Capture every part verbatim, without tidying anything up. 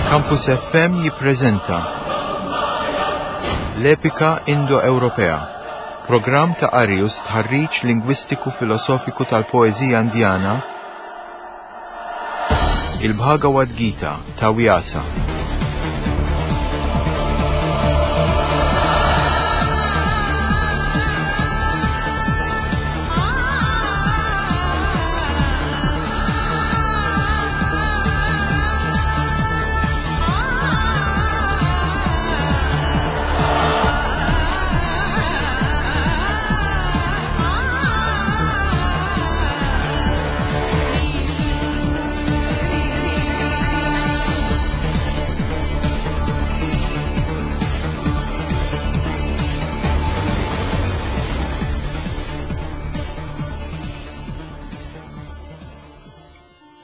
Campus F M jippreżenta l-Epika Indo-Ewropea, programm ta' qari u stħarriġ lingwistiku filosofiku tal-poeżija Indjana, il-Bhagavad Gita ta' Vyasa.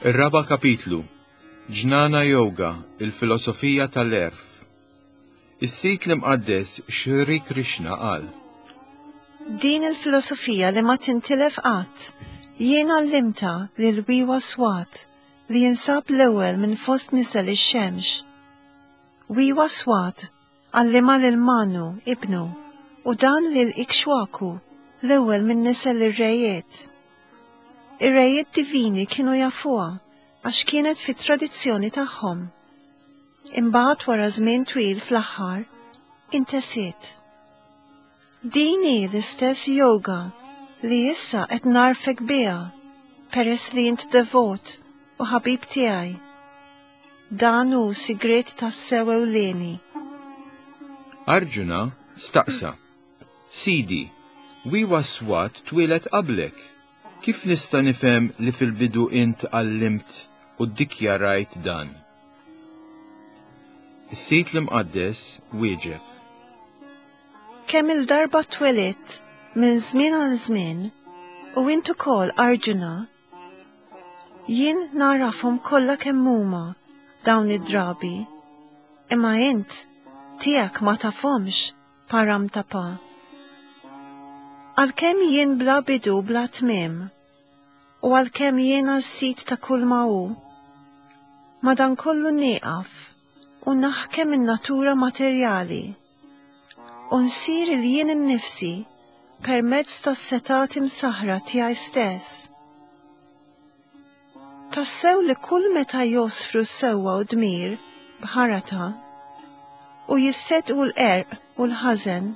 Ir-raba' kapitlu: Ġnana Yoga, il-filosofija tal-għerf. Is-Sid l-Imqaddes Shri Krishna qal: Din il-filosofija li ma tintilef qatt, jien għallimtha lil Vivaswat li jinsab l-ewwel minn fost nisel ix-xemx. Vivaswat għallimha lil Manu, ibnu, u dan lil Ikshwaku, l-ewwel minn nisel ir-rejiet. Ir-rejiet divini kienu jafuha għax kienet fit-tradizzjoni tagħhom. Imbagħad wara żmien twil fl-aħħar intesiet. Din hi l-istess yoga li issa qed ngħarrfek biha peress li int devot u ħabib tiegħi. Dan hu sigriet tassew ewlieni. Arjuna staqsa: "Sidi, Vivaswat twieled qablek. Kif nista' nifhem li fil-bidu int għallimt u ddikjarajt dan?" Is-Sid l-Imqaddes wieġeb: Kemm il-darba twelidt minn żmien għal żmien u int ukoll, Arjuna, jien nagħrafhom kollha kemm huma dawn id-drabi, imma int tiegħek ma tafhomx, Parantapa. Għalkemm jien bla bidu, bla tmiem, u għalkemm jiena s-sid ta' kull ma hu, madankollu nieqaf u naħkem in-natura materjali u nsir il-jien innifsi permezz tas-setgħat imsaħra tiegħi stess. Tassew li kull meta josfru sewwa u dmir, Bharata, u jisseddqu l-qerq u l-ħażen,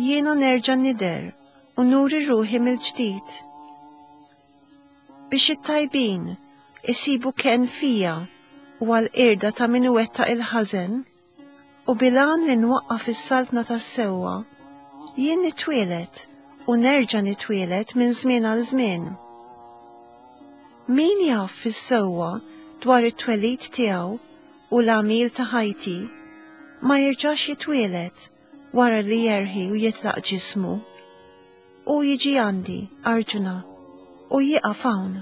jiena nerġa' nidher u nuri ruħi mill-ġdid. Biex it-tajbin isibu kenn fija u għal-qirda ta' min iwettaq il-ħażen, u bil-għan li nwaqqaf is-saltna tas-sewwa, jien nitwieled u nerġa' nitwieled minn żmien għal żmien. Min jaf fis-sewwa dwar it-twelid tiegħu u l-għamil ta' ħajti, ma jerġax jitwieled wara li jerħi u jitlaq ġismu. U jiġi għandi, Arjuna, u jieqaf hawn.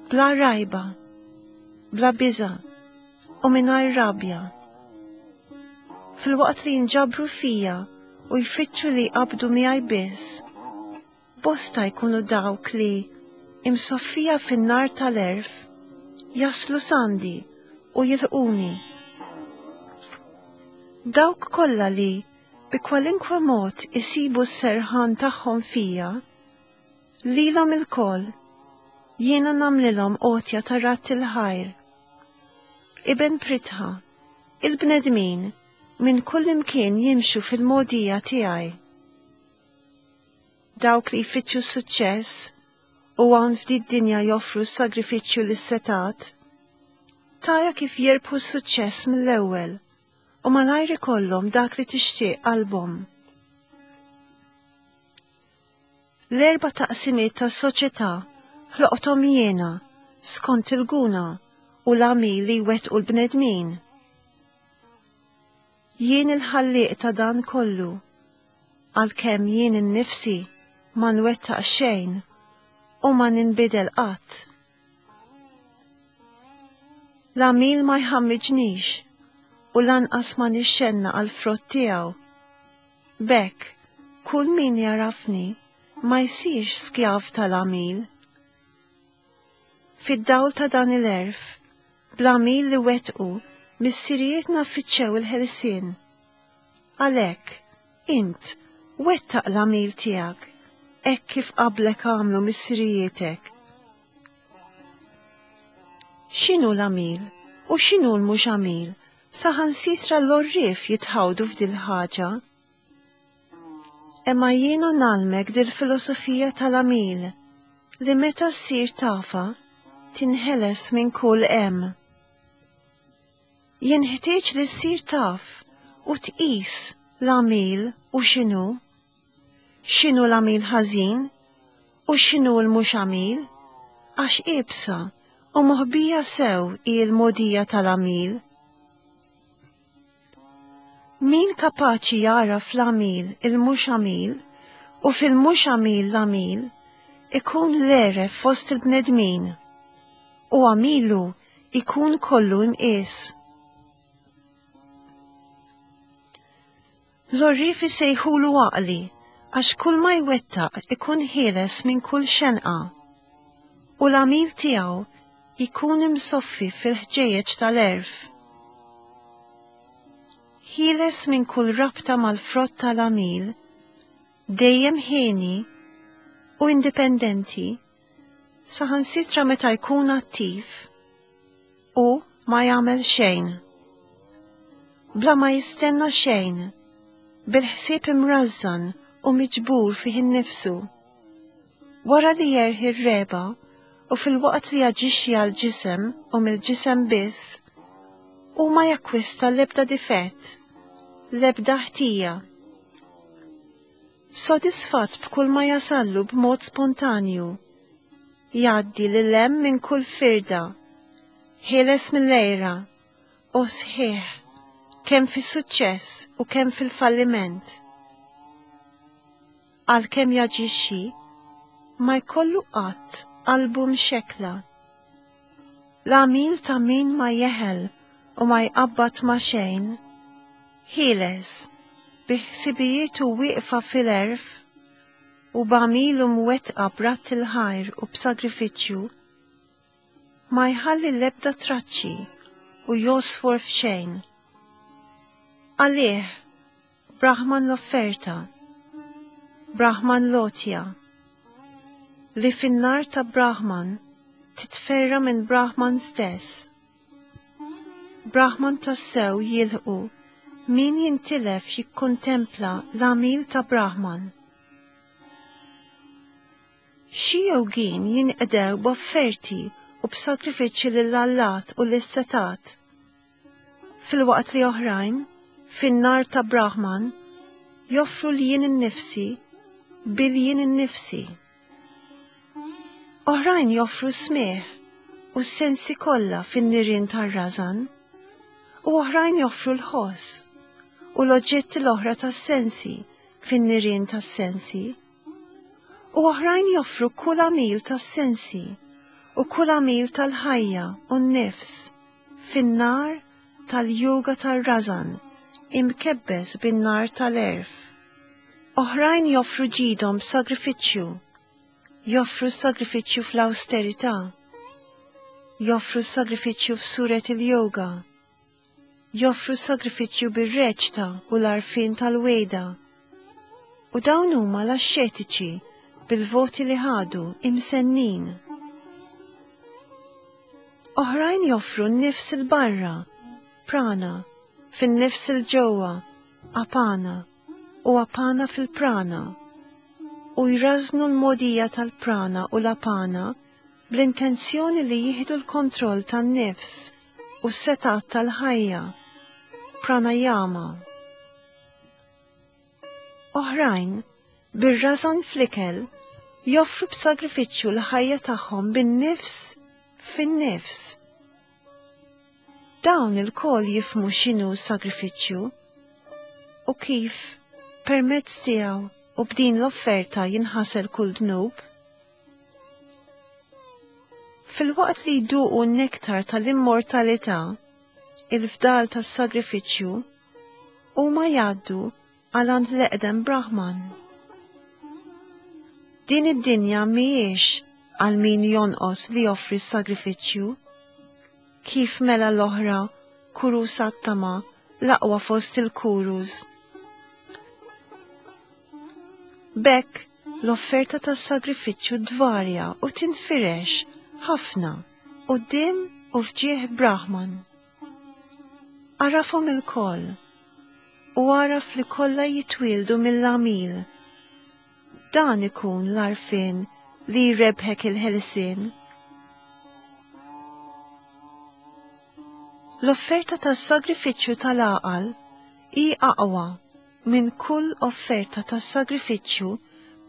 Bla rajba, bla biża' u mingħajr rabja. Filwaqt li jinġabru fija u jfittxu li jqabdu miegħi biss, bosta jkunu dawk li, imsoffija fin-nar tal-għerf, jaslu s'għandi u jilħquni. Dawk kollha li bi kwalinkwe mod isibu s-serħan tagħhom fija, lilhom ilkoll jiena nagħmlilhom għotja ta' radd il-ħajr. Iben Pritha, il-bnedmin minn kull imkien jimxu fil-mogħdija tiegħi. Dawk li jfittxu suċċess u hawn f'din id-dinja joffru sagrifiċċju lis-setgħat, tara kif jirbħu suċċess mill-ewwel u malajr ikollhom dak li tixtieq qalbhom. L-erba' taqsimiet tas-soċjetà ħloqthom jiena skont il-guna u l-għamil li jwettqu l-bnedmin. Jien il-ħallieq ta' dan kollu, għalkemm jien innifsi ma nwettaq xejn u ma ninbidel qatt. L-għamil ma jħammiġnix u lanqas ma nixxennaq għall-frott tiegħu. B'hekk, kull min jagħrafni ma jsirx skjav tal-għamil. Fid-dawl ta' dan il-għerf, Bl-għamil li wettqu, missirijietna fittxew il-ħelsien. Għalhekk, int, wettaq l-għamil tiegħek, hekk kif qablek għamlu missirijietek. X'inhu l-għamil u x'inhu l-mhux għamil, saħansitra l-għorrief jitħawdu f'dil-ħaġa. Imma jiena ngħallmek dil-filosofija tal-għamil, li meta ssir tafha, tinħeles minn kull hemm. Jenħtieġ li ssir taf u tqis l-għamil u x'inhu, x'inhu l-għamil ħażin u x'inhu l-mhux għamil, għax iebsa u moħbija sew hi l-mogħdija tal-għamil. Min kapaċi jara fl-għamil il-mhux għamil u fil-mhux għamil l-għamil, ikun l-għeref fost il-bnedmin, u għamilu ikun kollu imqies. L-għorrief isejħulu għaqli, għax kull ma jwettaq ikun ħieles minn kull xenqa, u l-għamil tiegħu ikun imsoffi fil-ħġejjeġ tal-għerf. Ħieles minn kull rabta mal-frott tal-għamil, dejjem ħieni u indipendenti, saħansitra meta jkun attiv u ma jagħmel xejn. Bla ma jistenna xejn, bil-ħsieb imrażżan u miġbur fih innifsu. Wara li jerħi r-reba u fil-waqt li jaġixxi għall-ġisem u mill-ġisem biss, u ma jakkwista l-ebda difett, l-ebda ħtija. Sodisfatt b'kull ma jasallu b'mod spontanju, jgħaddi lil hemm minn kull firda, ħieles mill-għira u sħiħ, kemm fis-suċċess u kemm fil-falliment. Għalkemm jaġixxi, ma jkollu qatt qalbu mxekkla. L-għamil ta' min ma jeħel u ma jqabbad ma' xejn, ħieles, bi ħsibijietu wieqfa fil-għerf u b'għamilu mwettqa b'ratt il-ħajr u b'sagrifiċċju, ma jħalli l-ebda traċċi u josfor f'xejn. Għalih, Brahman l-offerta, Brahman l-għotja, li fin-nar ta' Brahman titferra minn Brahman stess. Brahman tassew jilħqu min jintilef jikkontempla l-għamil ta' Brahman. Xi jogin jinqdew b'offerti u b'sagrifiċċji lill-allat u lis-setat, filwaqt li oħrajn, fin-nar ta' Brahman, joffru l-jien innifsi bil-jien innifsi. Oħrajn joffru smigħ u s-sensi kollha fin-nirien tar-rażan, u oħrajn joffru l-ħoss u l-oġġetti l-oħra tas-sensi fin-nirien tas-sensi, u oħrajn joffru kull għamil tas-sensi u kull għamil tal-ħajja u n-nifs fin-nar tal-yoga tar-rażan imkebbes bin-nar tal-għerf. Oħrajn joffru ġidhom b'sagrifiċċju, joffru sagrifiċċju fl-austerità, joffru sagrifiċċju f'suret il-yoga, joffru sagrifiċċju bir-reċta u l-għarfien tal-weda. U dawn huma l-axxetiċi bil-voti li ħadu imsennin. Oħrajn joffru n-nifs il-barra, prana, fin-nifs il-ġewwa, apana, u apana fil-prana, u jrażnu l-mogħdija tal-prana u l-apana bl-intenzjoni li jieħdu l-kontroll tan-nifs u s-setat tal-ħajja, pranayama. Oħrajn, bir-rażan fl-ikel, joffru b'sagrifiċċju l-ħajja tagħhom bin-nifs fin-nifs. Dawn il-kol jifhmu x'inhu sagrifiċċju u kif permezz tiegħu u b'din l-offerta jinħasel kull dnub. Fil-waqt li jduqu n-nektar tal-immortalità, il-fdal tas-sagrifiċċju, huma jgħaddu għal għand l-eqdem Brahman. Din id-dinja mhijiex għal min jonqos li joffri s-sagrifiċċju, Kif mela l-oħra, Kuru Sattama, l-aqwa fost il-Kurus? B'hekk, l-offerta tas-sagrifiċċju tvarja u tinfirex ħafna quddiem u f'ġieħ Brahman. Għarafhom ilkoll u għaraf li kollha jitwieldu mill-għamil. Dan ikun l-għarfien li jrebħek il-ħelsien. L-offerta tas-sagrifiċċju tal-għaqal hi aqwa minn kull offerta tas-sagrifiċċju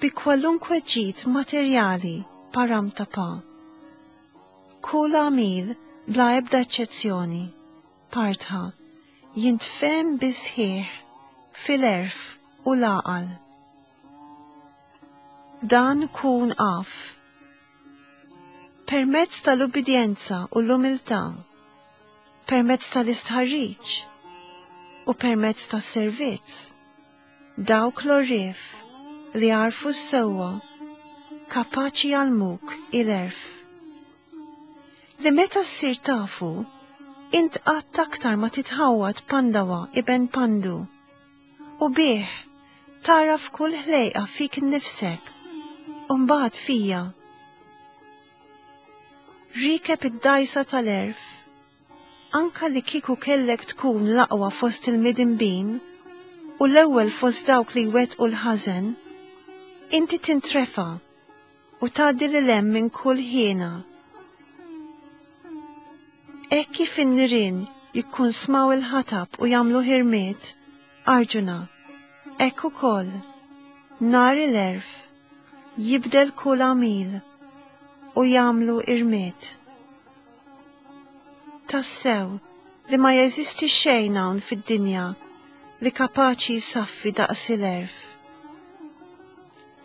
bi kwalunkwe ġid materjali paramtapa. Kull għamil bla ebda eċċezzjoni, Partha, jintfehem bis-sħiħ fil-għerf u l-għaqal. Dan kun af. Permezz tal-ubbidjenza u l-umiltà, permezz tal-istħarriġ u permezz tas-servizz, dawk l-għorrief li għarfu s-sewwa kapaċi jgħallmuk il-għerf. Li meta ssir tafu, int qatt aktar ma titħawwad Pandawa iben Pandu, u bih tagħraf kull ħlejqa fik innifsek, u mbagħad fija. Rikeb id-dgħajsa tal-għerf, anka li kieku kellek tkun l-aqwa fost il-midinbin u l-ewwel fost dawk li jwettqu l-ħażen, inti tintrefa' u tgħaddi lil hemm minn kull ħiena. Hekk kif in-nirien jikkunsmaw il-ħatab u jagħmlu ħirmiet, Arjuna, hekk ukoll nar il-għerf jibdel kull għamil u jagħmlu irmied. Tassew li ma jeżisti xejn hawn fid-dinja li kapaċi jsaffi daqs il-għerf.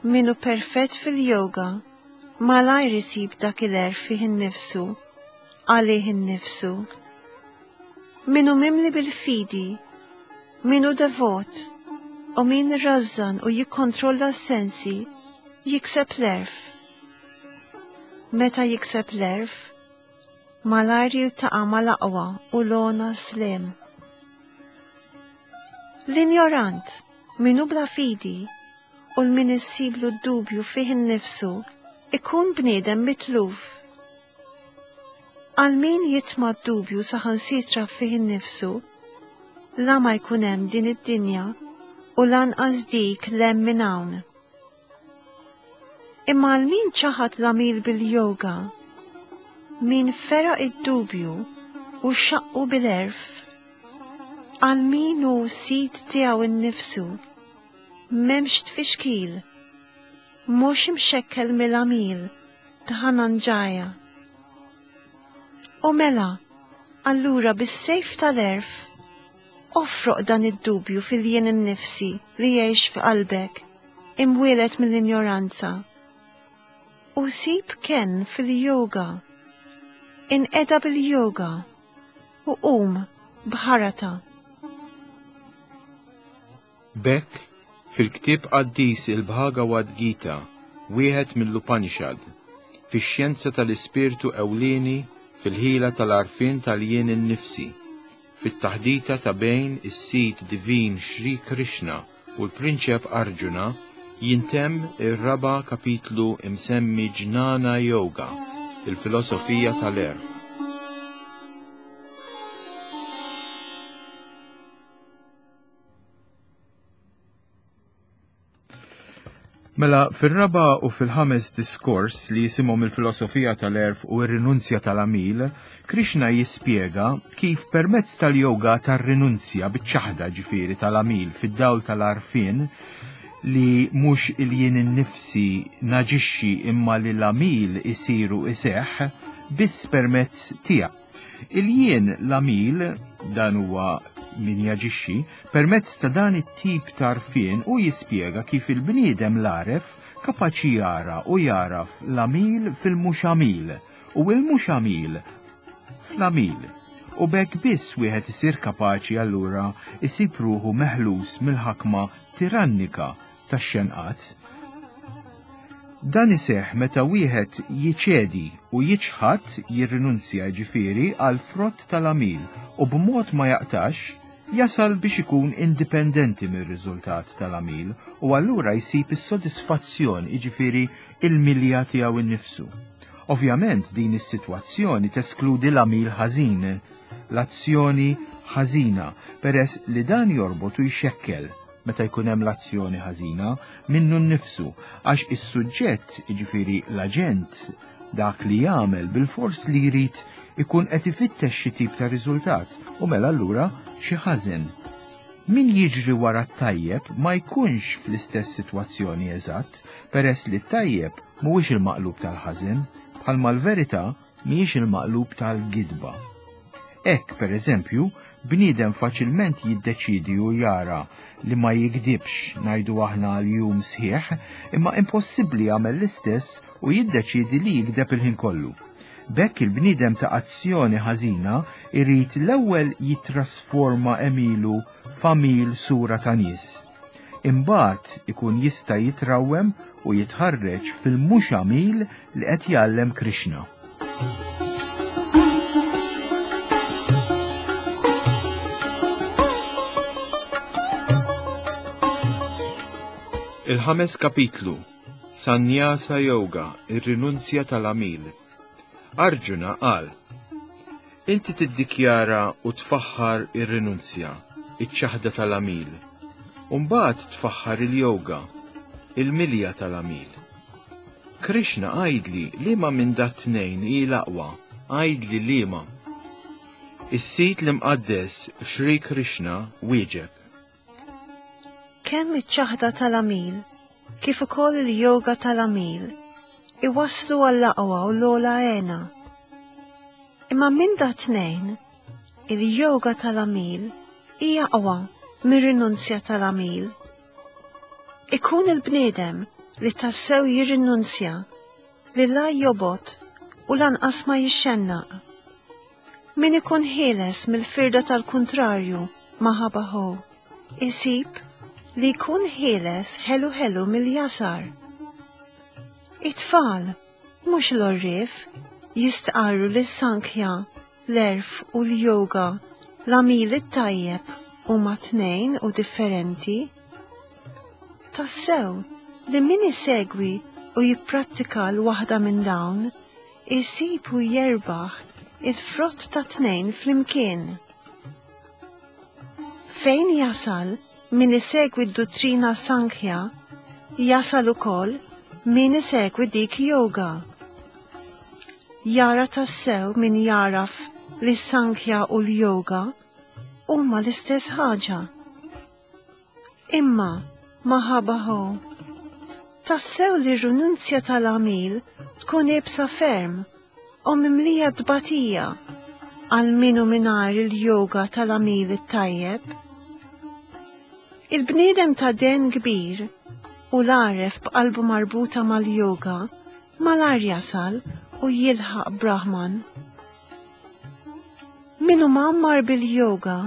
Min hu perfett fil-yoga malajr isib dak il-għerf fih innifsu, għalih innifsu. Min hu mimli bil-fidi, min hu devot, u min rażżan u jikkontrolla s-sensi, jikseb l-għerf. Meta jikseb l-għerf, malajr jiltaqa' mal-aqwa u l-ogħna sliem. L-injorant, min hu bla fidi, u l-min issiblu d-dubju fih innifsu, ikun bniedem mitluf. Għal min jitma' d-dubju saħansitra fih innifsu, la ma jkun hemm din id-dinja u lanqas dik 'l hemm minn hawn. Imma għal min ċaħad l-għamil bil-yoga, min feraq id-dubju u xaqqu bil-għerf, għal min hu sid tiegħu innifsu, m'hemmx tfixkil, mhux imxekkel mill-għamil, Dhananjaya. U mela, allura bis-sejf tal-għerf, ofroq dan id-dubju fil-jien innifsi li jgħix f'qalbek, imwieled mill-injoranza. U sib kenn fil-yoga, inqeda bil-yoga, u qum b'Bharata. B'hekk, fil-ktieb qaddis il-Bhagavad Gita, wieħed mill-Upanishad, fix-xjenza tal-ispirtu ewlieni fil-ħila tal-għarfien tal-jien innifsi, fit-taħdita ta' bejn is-sid divin Shri Krishna u l-prinċep Arjuna, jintemm ir-raba' kapitlu imsemmi Jnana Yoga, il-filosofija tal-għerf. Mela, fir-raba' u fil-ħames diskors li jisimhom il-filosofija tal-għerf u r-rinunzja tal-għamil, Krishna jispjega kif permezz tal-yoga tar-rinunzja biċ-ċaħda ġifieri tal-għamil fid-dawl tal-għarfien li mhux il-jien innifsi naġixxi imma li l-għamil isiru iseħħ biss permezz tiegħek. Il-jien l-għamil, dan huwa min jaġixxi, permezz ta' dan it-tip ta' għarfien u jispjega kif il-bniedem l-għaref kapaċi jara u jaraf l-għamil fil-mhux għamil u l-mhux għamil fl-għamil. U b'hekk biss wieħed isir kapaċi allura isib ruħu meħlus mill-ħakma tirannika tax-xenqat. Dan iseħħ meta wieħed jiċedi u jiċħad jirrinunzja ġifieri għal frott tal-għamil u b'mod ma jaqtax jasal biex ikun indipendenti mir-riżultat tal-għamil u allura jsib is-sodisfazzjon jiġifieri il-milja tiegħu innifsu. Ovvjament din is-sitwazzjoni teskludi l-għamil ħażin, l-azzjoni ħażina, peress li dan jorbot u jxekkel meta jkun hemm l-azzjoni ħażina minnu nnifsu, għax is-suġġett, jiġifieri l-aġent, dak li jagħmel bilfors li jrid ikun qed ifittex xi tip ta' riżultat u mela allura xi ħażen. Min jiġri wara t-tajjeb ma jkunx fl-istess sitwazzjoni eżatt, peress li t-tajjeb mhuwiex il-maqlub tal-ħażen, bħalma l-verità mhijiex il-maqlub tal-gidba. Hekk, per eżempju, bniedem faċilment jiddeċidi u jara li ma jigdibx ngħidu aħna għal jum sħiħ, imma impossibbli jagħmel l-istess u jiddeċidi li jigdeb il-ħin kollu. B'hekk il-bniedem ta' azzjoni ħażina irid l-ewwel jitrasforma għemilu f'għamil sura ta' nies. Imbagħad ikun jista' jitrawwem u jitħarreġ fil-mhux għamil li qed jgħallem Krishna. Il-ħames kapitlu, Sannyasa Yoga, ir-rinunzja tal-għamil. Arjuna qal: Inti tiddikjara u tfaħħar ir-rinunzja, iċ-ċaħda tal-għamil, u mbagħad tfaħħar il-yoga, il-milja tal-għamil. Krishna għidli liema minn dat tnejn hi l-aqwa, għidli liema. Is-sit l-imqaddes Shri Krishna wieġeb: Kemm iċ-ċaħda tal-għamil, kif ukoll il-yoga tal-għamil, iwasslu għall-aqwa u l-ogħla għena. Imma minn da tnejn, il-yoga tal-għamil hija aqwa mir-rinunzja tal-għamil. Ikun il-bniedem li tassew jirrinunzja li la jobot u lanqas ma jixxennaq. Min ikun ħieles mill-firda tal-kuntrarju maħabaħu, isib li jkun ħieles ħelu ħelu mill-jasar. It-tfal, mhux l-orrif, jistqarru li s-sankhya, l-erf u l-yoga, l-għamil it-tajjeb huma tnejn u differenti. Tassew li min isegwi u jipprattika l-waħda minn dawn, isib u jerbaħ il-frott ta' tnejn flimkien. Fejn jasal min isegwi d-dottrina Sankhya, jasal ukoll min isegwi dik yoga. Jara tassew min jaraf li Sankhya u l-yoga huma l-istess ħaġa. Imma maħabaħu, tassew li r-rinunzja tal-għamil tkun iebsa ferm u mimlija tbatija għal minu mingħajr il-yoga tal-għamil it-tajjeb. Il-bniedem ta' den kbir u l-għaref b'qalbu marbuta mal-yoga malar jasal u jilħaq Brahman. Minu mgħammar bil-yoga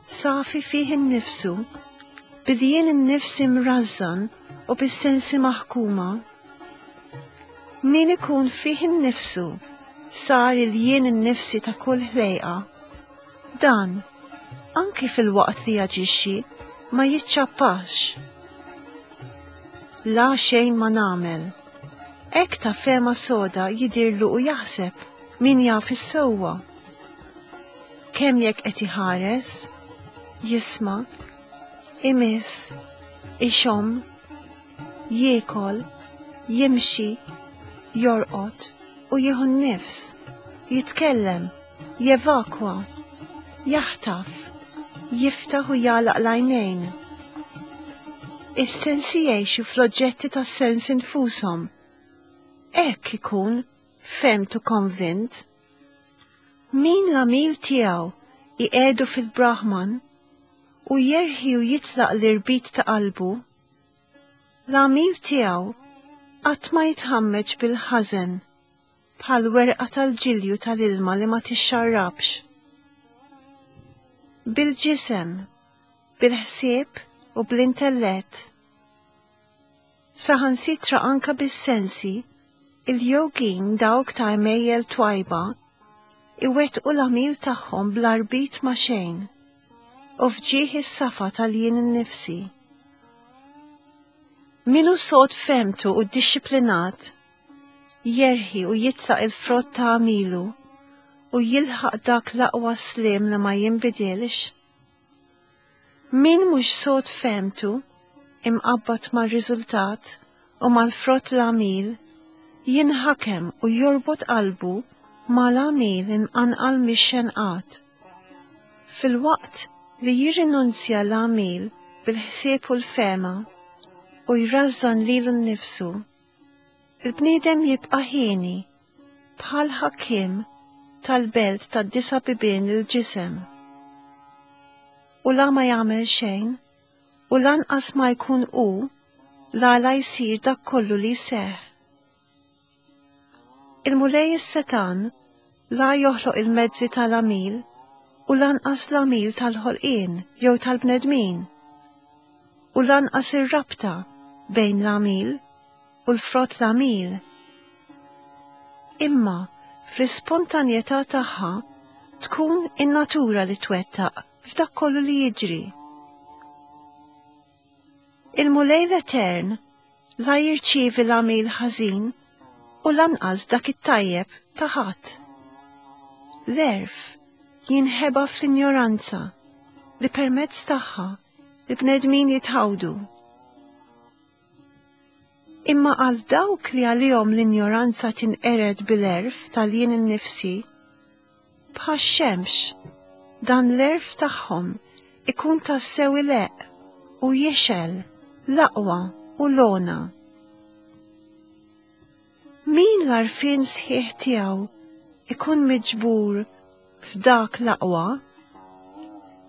safi fih innifsu, bil-jien innifsi mrażżan u bis-sensi maħkuma. Min ikun fih innifsu sar il-jien innifsi ta' kull ħlejqa. Dan, anki fil-waqt li jaġixxi, ma jiċċappax. La xejn ma nagħmel. Hekk ta' fema soda jidirlu u jaħseb min jaf is-sewwa. Kemm jekk qed iħares, jisma', imiss, ixomm, jiekol, jimxi, jorqod u jieħu n-nifs, jitkellem, jevakwa, jaħtaf, jiftaħ u jagħlaq l-għajnejn. Is-sensi jgħixu fl-oġġetti tas-sens infushom. Hekk ikun femtu konvint. Min l-għamil tiegħu iqiegħdu fil-Brahman u jerħi u jitlaq l-irbit ta' qalbu, l-għamil tiegħu qatt ma jitħammeġ bil-ħażen bħal werqa tal-ġilju tal-ilma li ma tixxarrabx. Bil-ġisem, bil-ħsieb u bl-intellett. Saħansitra anka bis-sensi, il-jogin dawk ta' għemejjel twajba iwettqu l-għamil tagħhom bla rbit ma' xejn u f'ġieħ is-safa tal-jien innifsi. Min hu sod f'fehmtu u ddixxiplinat, jerħi u jitlaq il-frott ta' għamilu u jilħaq dak l-aqwa sliem li ma jinbidilx. Min mhux sod f'fehmtu, imqabbad mar-riżultat u mal-frott l-għamil, jinħakem u jorbot qalbu mal-għamil imqanqal mix-xenqat. Filwaqt li jirrinunzja l-għamil bil-ħsieb u l-fehma u jrażżan lilu nnifsu, il-bniedem jibqa' hieni bħal ħakkiem tal-belt tad-disa' bibien il-ġisem. U la ma jagħmel xejn, u lanqas ma jkun hu l-għala jsir dak kollu li jseħħ. Il-Mulej is-Setan la joħloq il-mezzi tal-għamil u lanqas l-għamil tal-ħolqien jew tal-bnedmin, u lanqas ir-rabta bejn l-għamil u l-frott l-għamil. Imma fl-ispontanjetà tagħha tkun in-natura li twettaq f'dak kollu li jiġri. Il-Mulej l-Etern la jirċievi l-għamil ħażin u lanqas dak it-tajjeb ta' ħadd. L-għerf jinħeba fl-injoranza li permezz tagħha l-bnedmin jitħawdu. Imma għal dawk li għalihom l-injoranza tinqered bil-għerf tal-jien innifsi, bħax-xemx dan l-għerf tagħhom ikun tassew ileqq u jixgħel l-aqwa u l-ogħna. Min l-għarfien sħiħ tiegħu ikun miġbur f'dak l-aqwa,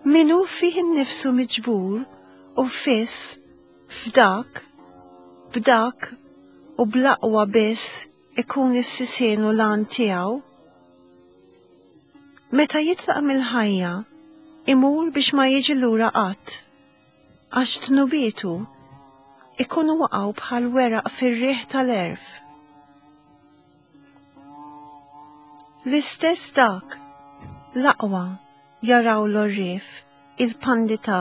min hu fih innifsu miġbur u fiss f'dak, b'dak u bl-aqwa biss ikun is-sisien u l-għan tiegħu. Meta jitlaq mill-ħajja, imur biex ma jiġi lura qatt, għax dnubietu ikunu waqgħu bħal weraq fir-riħ tal-għerf. L-istess dak, l-aqwa jaraw l-għorrief, il-pandita,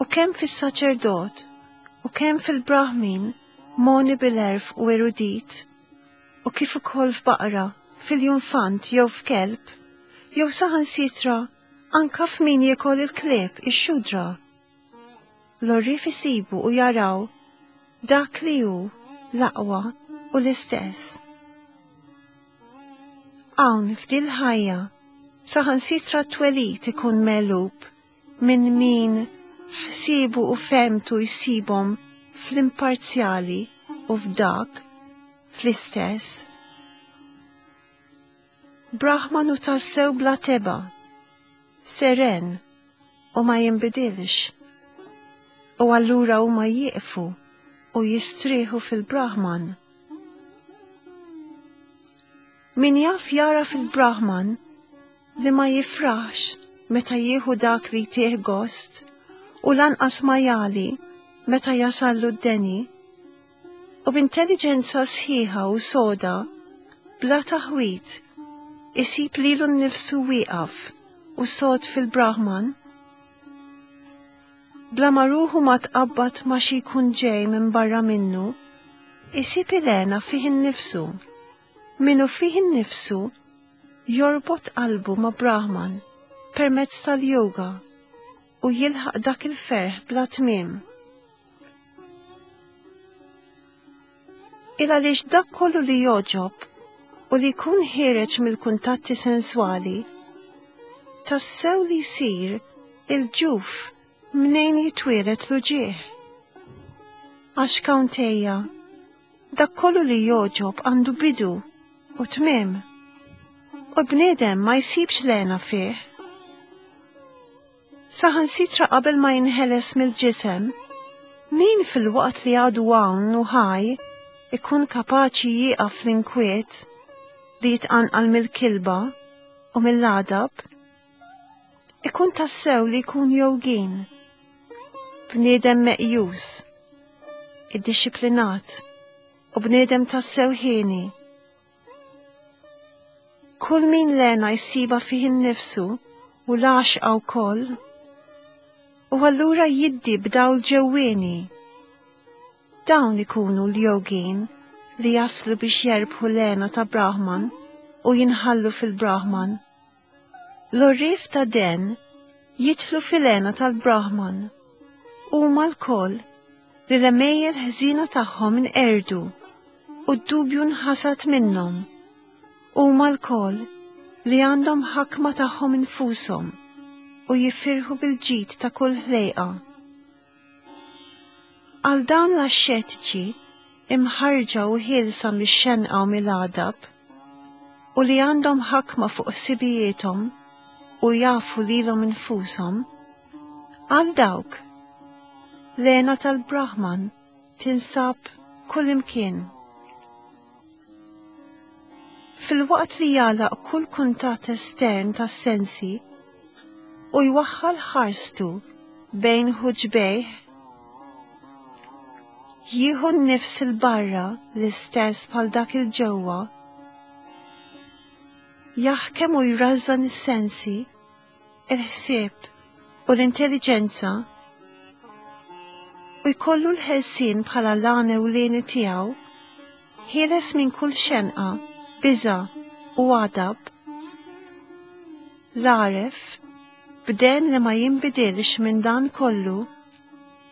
u kemm fis-saċerdot u kemm fil-Brahmin moni bil-għerf u erudit, u kif ukoll f'baqra, fil-junfant jew f'kelb, jew saħansitra anka f'min jiekol il-klieb ix-xudra. L-għorrief isibu u jaraw dak li hu l-aqwa u l-istess. Hawn f'dil ħajja saħansitra t-twelid ikun megħlub minn min ħsiebu u fehmtu jsibhom fl-imparzjali u f'dak fl-istess. Brahman hu tassew bla teba, seren u ma jinbidilx. U allura huma jieqfu u jistrieħu fil-Brahman. Min jaf jara fil-Brahman li ma jifraħx meta jieħu dak li jtih gost u lanqas ma jali meta jasallu d-deni, u b'intelliġenza sħiħa u soda, bla taħwit, isib lilu nnifsu wieqaf u sod fil-Brahman, bla ma ruħu ma tqabbad ma xi jkun ġej minn barra minnu, isib il-hena fih innifsu. Minnu fih innifsu jorbot qalbu ma' Brahman permezz tal-yoga u jilħaq dak il-ferħ bla tmiem. Il għaliex dak kollu li jogħġob u li jkun ħiereġ mill-kuntatti senswali, tassew li jsir il-ġuf mnejn jitwieled l-uġigħ. Għax Kaunteja, dak kollu li jogħġob għandu bidu u tmiem, u bniedem ma jsibx lena fih. Saħansitra qabel ma jinħeles mill-ġisem, min fil-waqt li għadu hawn u ħaj ikun kapaċi jieqaf l-inkwiet li jitqanqal mill-kilba u mill-għadab, ikun tassew li jkun jogin, bniedem meqjus, iddixxiplinat u bniedem tassew ħieni. Kull min l-hena jsibha fih innifsu u l-għaxqa wkoll, u allura jiddi b'dawl ġewwieni. Dawn ikunu l-jogin li jaslu biex jerbħu l-hena ta' Brahman u jinħallu fil-Brahman. L-għorrief ta' den jidħlu fil-hena tal-Brahman. Huma lkoll li l-għemejjel ħżiena tagħhom inqerdu u d-dubju nħasad minnhom. Huma lkoll li għandhom ħakma tagħhom infushom u jifirħu bil-ġid ta' kull ħlejqa. Għal dawn l-axxetiċi imħarġa u ħielsa mix-xenqa u mill-għadab u li għandhom ħakma fuq ħsibijiethom u jafu lilhom infushom, għal dawk l-hena tal-Brahman tinsab kullimkien. Filwaqt li jagħlaq kull kuntatt estern tas-sensi u jwaħħal ħarstu bejn ħuġbejh, jieħu n-nifs 'il barra l-istess bħal dak 'il ġewwa, jaħkem u jrażżan is-sensi, il-ħsieb u l-intelliġenza u jkollu l-ħelsien bħala l-għan ewlieni tiegħu, ħieles minn kull xenqa, biża' u għadab. L-għaref, b'den li ma jinbidilx minn dan kollu,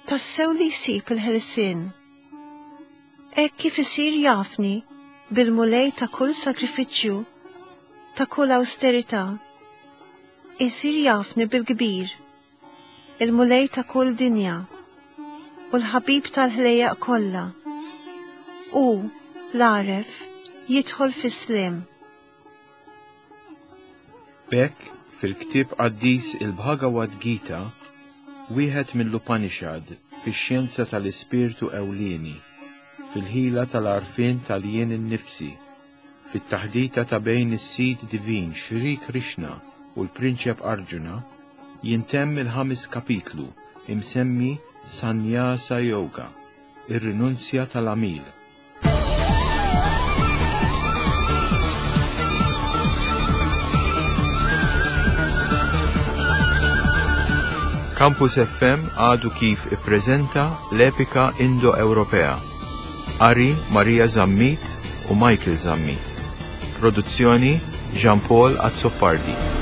tassew li jsib il-ħelsien. Hekk kif isir jafni bil-Mulej ta' kull sakrifiċċju, ta' kull awsterità, isir jafni bil-kbir, il-Mulej ta' kull dinja u l-ħabib tal-ħlejjaq kollha. U l-għaref jidħol fis-sliem. B'hekk, fil-ktieb qaddis il-Bhagavad Gita, wieħed mill-Upanishad fix-xjenza tal-ispirtu ewlieni, fil-ħila tal-għarfien tal-jien innifsi, fit-taħdita ta' bejn is-Sid Divin Shri Krishna u l-Prinċep Arjuna, jintemm il-ħames kapitlu imsemmi Sannyasa Yoga, ir-rinunzja tal-għamil. Campus F M għadu kif ippreżenta l-epika Indo-Ewropea. Qari Maria Zammit u Michael Zammit. Produzzjoni Jean-Paul Azzopardi.